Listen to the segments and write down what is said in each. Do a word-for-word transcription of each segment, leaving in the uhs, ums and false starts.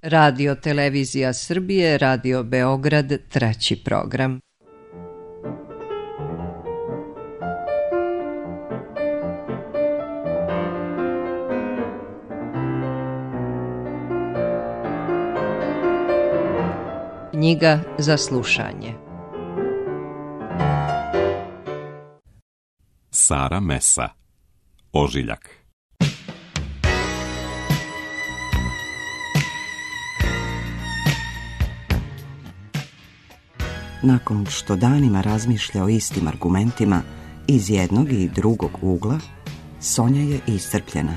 Radio Televizija Srbije, Radio Beograd, treći program. Knjiga za slušanje. Sara Mesa, Ožiljak. Nakon što danima razmišlja o istim argumentima iz jednog i drugog ugla, Sonja je iscrpljena.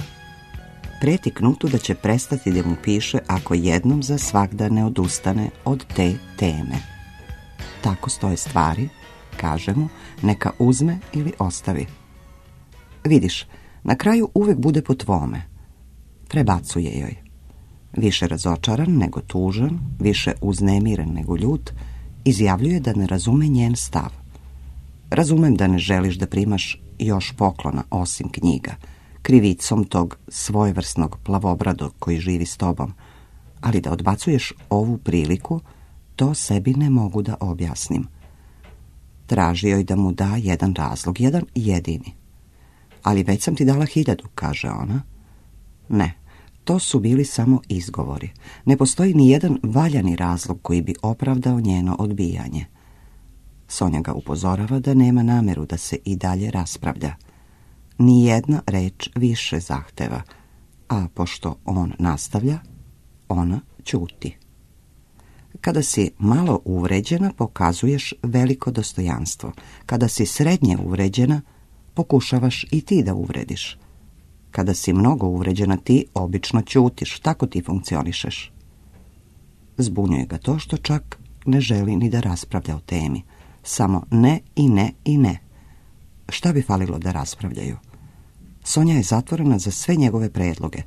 Preti Knutu da će prestati da mu piše ako jednom za svagda ne odustane od te teme. Tako stoje stvari, kaže mu, neka uzme ili ostavi. Vidiš, na kraju uvek bude po tvome. Prebacuje joj. Više razočaran nego tužan, više uznemiren nego ljut, izjavljuje da ne razume njen stav. Razumem da ne želiš da primaš još poklona osim knjiga, krivicom tog svojevrsnog plavobradog koji živi s tobom, ali da odbacuješ ovu priliku, to sebi ne mogu da objasnim. Traži joj da mu da jedan razlog, jedan jedini. Ali već sam ti dala hiljadu, kaže ona. Ne, to su bili samo izgovori. Ne postoji ni jedan valjani razlog koji bi opravdao njeno odbijanje. Sonja ga upozorava da nema nameru da se i dalje raspravlja. Ni jedna reč više zahteva, a pošto on nastavlja, ona ćuti. Kada si malo uvređena, pokazuješ veliko dostojanstvo. Kada si srednje uvređena, pokušavaš i ti da uvrediš. Kada si mnogo uvređena, ti obično ćutiš. Tako ti funkcionišeš. Zbunjuje ga to što čak ne želi ni da raspravlja o temi. Samo ne i ne i ne. Šta bi falilo da raspravljaju? Sonja je zatvorena za sve njegove predloge.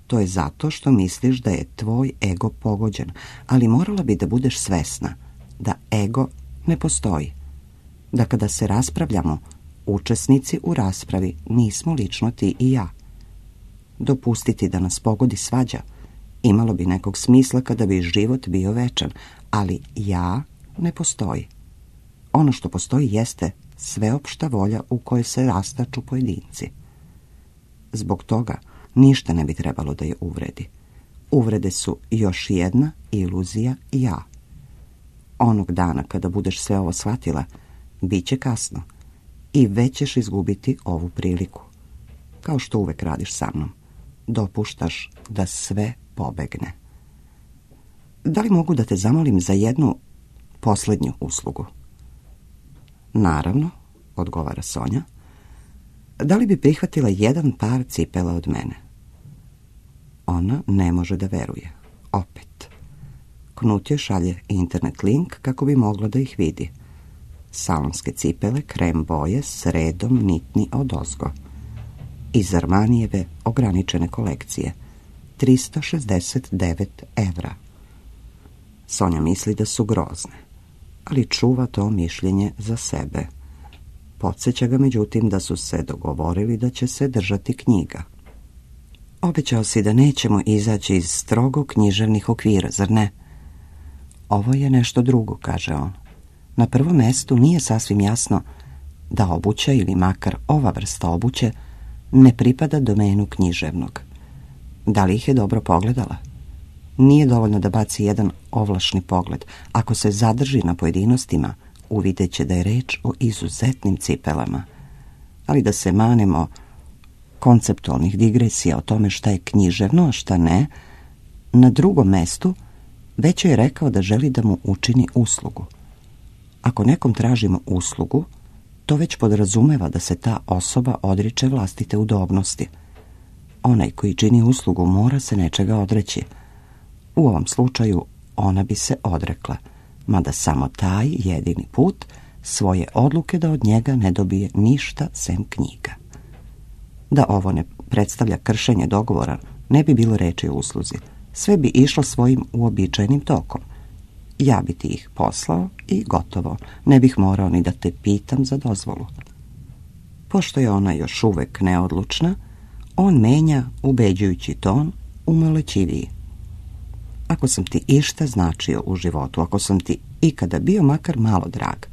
To je zato što misliš da je tvoj ego pogođen, ali morala bi da budeš svesna da ego ne postoji. Da kada se raspravljamo, učesnici u raspravi nismo lično ti i ja. Dopustiti da nas pogodi svađa imalo bi nekog smisla kada bi život bio večan, ali ja ne postoji. Ono što postoji jeste sveopšta volja u kojoj se rastaču pojedinci. Zbog toga ništa ne bi trebalo da je uvredi. Uvrede su još jedna iluzija ja. Onog dana kada budeš sve ovo shvatila, bit će kasno i već ćeš izgubiti ovu priliku. Kao što uvek radiš sa mnom. Dopuštaš da sve pobegne. Da li mogu da te zamolim za jednu posljednju uslugu? Naravno, odgovara Sonja. Da li bi prihvatila jedan par cipela od mene? Ona ne može da veruje. Opet. Knut joj šalje internet link kako bi mogla da ih vidi. Salonske cipele, krem boje, s redom nitni odozgo. Iz Armanijeve ograničene kolekcije. trista šezdeset devet evra. Sonja misli da su grozne, ali čuva to mišljenje za sebe. Podsjeća ga međutim da su se dogovorili da će se držati knjiga. Obećao si da nećemo izaći iz strogo književnih okvira, zar ne? Ovo je nešto drugo, kaže on. Na prvom mestu nije sasvim jasno da obuća ili makar ova vrsta obuće ne pripada domenu književnog. Da li ih je dobro pogledala? Nije dovoljno da baci jedan ovlašni pogled. Ako se zadrži na pojedinostima, uvidjet će da je reč o izuzetnim cipelama. Ali da se manemo konceptualnih digresija o tome šta je književno, a šta ne, na drugom mestu već je rekao da želi da mu učini uslugu. Ako nekom tražimo uslugu, to već podrazumeva da se ta osoba odriče vlastite udobnosti. Onaj koji čini uslugu mora se nečega odreći. U ovom slučaju ona bi se odrekla, mada samo taj jedini put svoje odluke da od njega ne dobije ništa sem knjiga. Da ovo ne predstavlja kršenje dogovora, ne bi bilo reči o usluzi. Sve bi išlo svojim uobičajenim tokom. Ja bi ti ih poslao i gotovo. Ne bih morao ni da te pitam za dozvolu. Pošto je ona još uvek neodlučna, on menja ubeđujući ton u molećiviji. Ako sam ti išta značio u životu, ako sam ti ikada bio makar malo drag,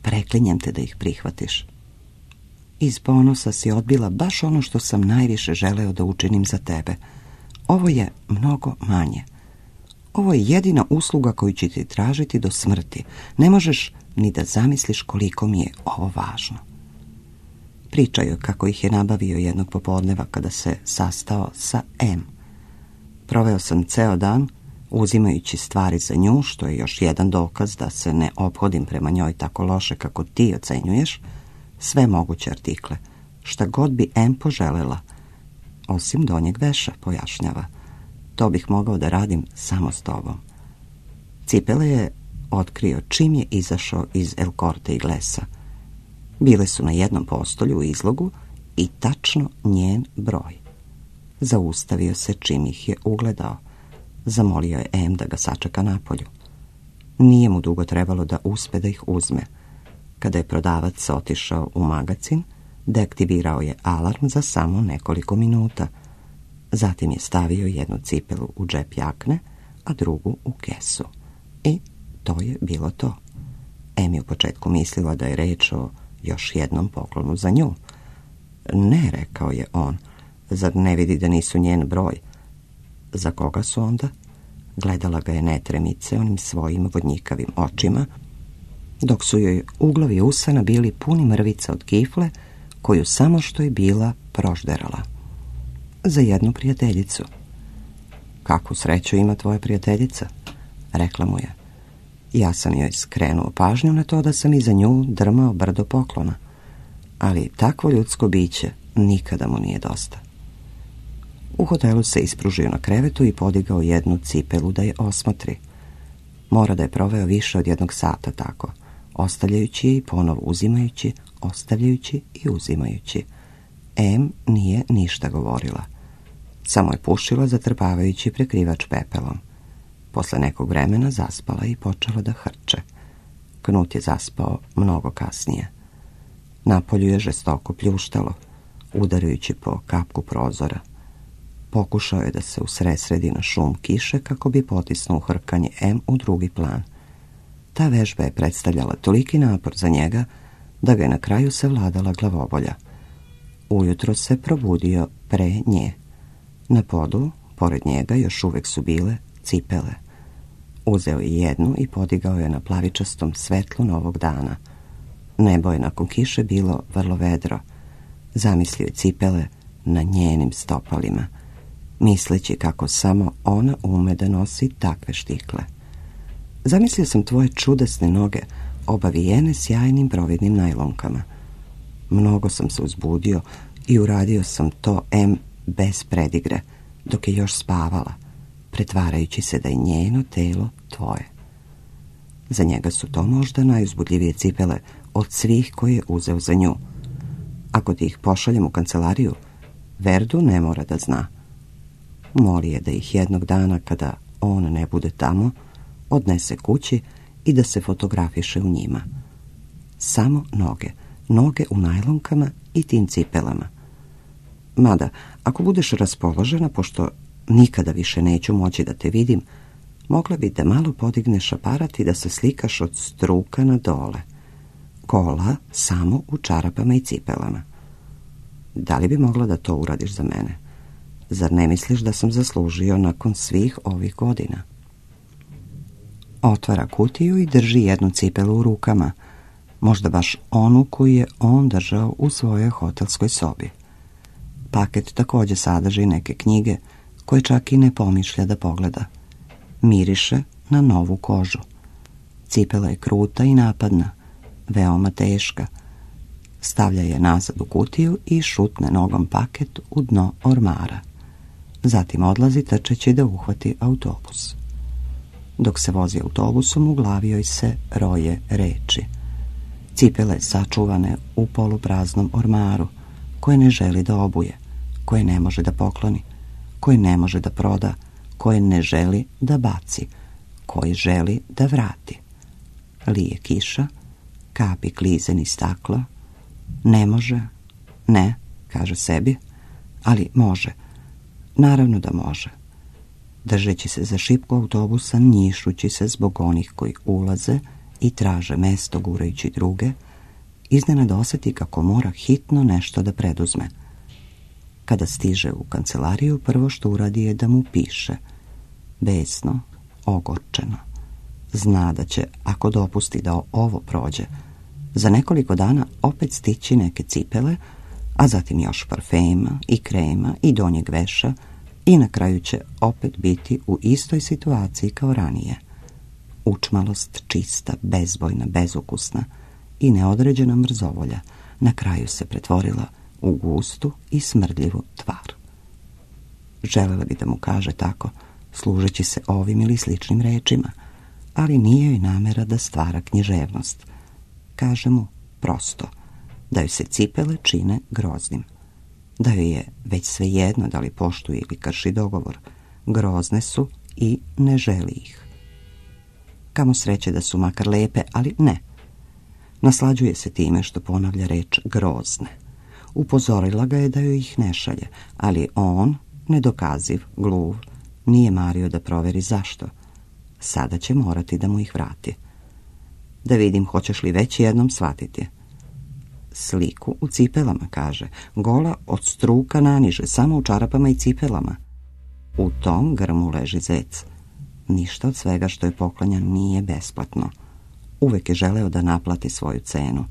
preklinjem te da ih prihvatiš. Iz ponosa si odbila baš ono što sam najviše želeo da učinim za tebe. Ovo je mnogo manje. Ovo je jedina usluga koju ću ti tražiti do smrti. Ne možeš ni da zamisliš koliko mi je ovo važno. Pričao je kako ih je nabavio jednog popodneva kada se sastao sa M. Proveo sam ceo dan uzimajući stvari za nju, što je još jedan dokaz da se ne ophodim prema njoj tako loše kako ti ocenjuješ, sve moguće artikle, šta god bi M poželela, osim donjeg veša, pojašnjava. To bih mogao da radim samo s tobom. Cipele je otkrio čim je izašao iz El Corte Inglesa. Bile su na jednom postolju u izlogu i tačno njen broj. Zaustavio se čim ih je ugledao. Zamolio je M da ga sačeka napolju. Nije mu dugo trebalo da uspe da ih uzme. Kada je prodavac otišao u magacin, deaktivirao je alarm za samo nekoliko minuta. Zatim je stavio jednu cipelu u džep jakne, a drugu u kesu. I to je bilo to. M je u početku mislila da je reč o još jednom poklonu za nju. Ne, rekao je on, zar ne vidi da nisu njen broj? Za koga su onda? Gledala ga je netremice onim svojim vodnjikavim očima, dok su joj uglovi usana bili puni mrvica od kifle, koju samo što je bila prožderala. Za jednu prijateljicu. Kakvu sreću ima tvoja prijateljica? Rekla mu je. Ja sam joj skrenuo pažnju na to da sam iza nju drmao brdo poklona, ali takvo ljudsko biće nikada mu nije dosta. U hotelu se ispružio na krevetu i podigao jednu cipelu da je osmotri. Mora da je proveo više od jednog sata tako, ostavljajući je i ponovo uzimajući, ostavljajući i uzimajući. M nije ništa govorila. Samo je pušila zatrpavajući prekrivač pepelom. Posle nekog vremena zaspala i počela da hrče. Knut je zaspao mnogo kasnije. Napolju je žestoko pljuštalo, udarajući po kapku prozora. Pokušao je da se usredsredi na šum kiše kako bi potisnuo hrkanje M u drugi plan. Ta vežba je predstavljala toliki napor za njega da ga je na kraju savladala glavobolja. Ujutro se probudio pre nje. Na podu, pored njega, još uvek su bile cipele. Uzeo je jednu i podigao je na plavičastom svetlu novog dana. Nebo je nakon kiše bilo vrlo vedro. Zamislio je cipele na njenim stopalima, misleći kako samo ona ume da nosi takve štikle. Zamislio sam tvoje čudesne noge, obavijene sjajnim providnim najlonkama. Mnogo sam se uzbudio i uradio sam to M bez predigre, dok je još spavala, pretvarajući se da je njeno telo tvoje. Za njega su to možda najuzbudljivije cipele od svih koje je uzeo za nju. Ako ti ih pošaljem u kancelariju, Verdu ne mora da zna. Moli je da ih jednog dana, kada on ne bude tamo, odnese kući i da se fotografiše u njima. Samo noge, noge u najlonkama i tim cipelama. Mada, ako budeš raspoložena, pošto nikada više neću moći da te vidim, mogla bi da malo podigneš aparat i da se slikaš od struka na dole. Gola samo u čarapama i cipelama. Da li bi mogla da to uradiš za mene? Zar ne misliš da sam zaslužio nakon svih ovih godina? Otvara kutiju i drži jednu cipelu u rukama, možda baš onu koju je on držao u svojoj hotelskoj sobi. Paket također sadrži neke knjige koje čak i ne pomišlja da pogleda. Miriše na novu kožu. Cipela je kruta i napadna, veoma teška. Stavlja je nazad u kutiju i šutne nogom paket u dno ormara. Zatim odlazi trčeći da uhvati autobus. Dok se vozi autobusom, u glavi joj se roje reči. Cipele sačuvane u polupraznom ormaru, koje ne želi da obuje, koje ne može da pokloni, koje ne može da proda, koje ne želi da baci, koje želi da vrati. Lije kiša, kapi klize niz staklo. Ne može, ne, kaže sebi, ali može. Naravno da može. držeći se za šipku autobusa, njišući se zbog onih koji ulaze i traže mesto gurajući druge, iznenada osjeti kako mora hitno nešto da preduzme. Kada stiže u kancelariju, prvo što uradi je da mu piše. Besno, ogorčeno. Zna da će, ako dopusti da ovo prođe, za nekoliko dana opet stići neke cipele, a zatim još parfema i krema i donjeg veša, i na kraju će opet biti u istoj situaciji kao ranije. Učmalost čista, bezbojna, bezukusna i neodređena mrzovolja na kraju se pretvorila u gustu i smrdljivu tvar. Želela bi da mu kaže tako, služeći se ovim ili sličnim rečima, ali nije joj namera da stvara književnost. Kaže mu prosto da joj se cipele čine groznim, da joj je već svejedno da li poštuje ili krši dogovor. Grozne su i ne želi ih. Kamo sreće da su makar lepe, ali ne. Naslađuje se time što ponavlja reč grozne. Upozorila ga je da joj ih ne šalje, ali on, nedokaziv, gluv, nije mario da proveri zašto. Sada će morati da mu ih vrati. Da vidim, hoćeš li već jednom shvatiti. Sliku u cipelama, kaže, gola od struka naniže, samo u čarapama i cipelama. U tom grmu leži zec. Ništa od svega što je poklonjan nije besplatno. Uvek je želeo da naplati svoju cenu,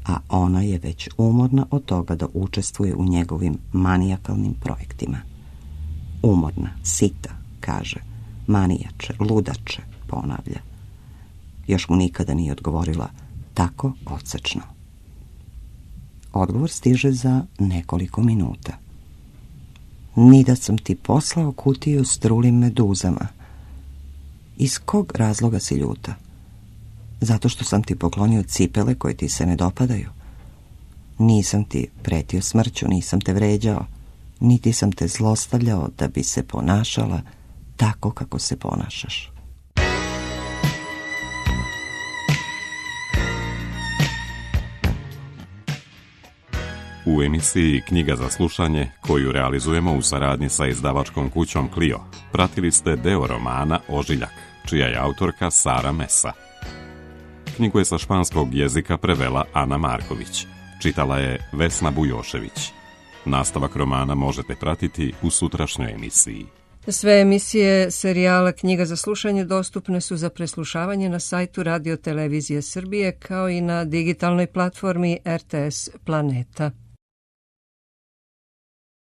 a ona je već umorna od toga da učestvuje u njegovim manijakalnim projektima. Umorna, sita, kaže, manijače, ludače, ponavlja. Još mu nikada nije odgovorila tako odsečno. Odgovor stiže za nekoliko minuta. Ni da sam ti poslao kutiju s trulim meduzama. Iz kog razloga si ljuta? Zato što sam ti poklonio cipele koje ti se ne dopadaju. Nisam ti pretio smrću, nisam te vređao, niti sam te zlostavljao da bi se ponašala tako kako se ponašaš. U emisiji Knjiga za slušanje, koju realizujemo u saradnji sa izdavačkom kućom Clio, pratili ste deo romana Ožiljak, čija je autorka Sara Mesa. Knjigu je sa španskog jezika prevela Ana Marković, čitala je Vesna Bujošević. Nastavak romana možete pratiti u sutrašnjoj emisiji. Sve emisije serijala Knjiga za slušanje dostupne su za preslušavanje na sajtu Radio Televizije Srbije kao i na digitalnoj platformi R T S Planeta.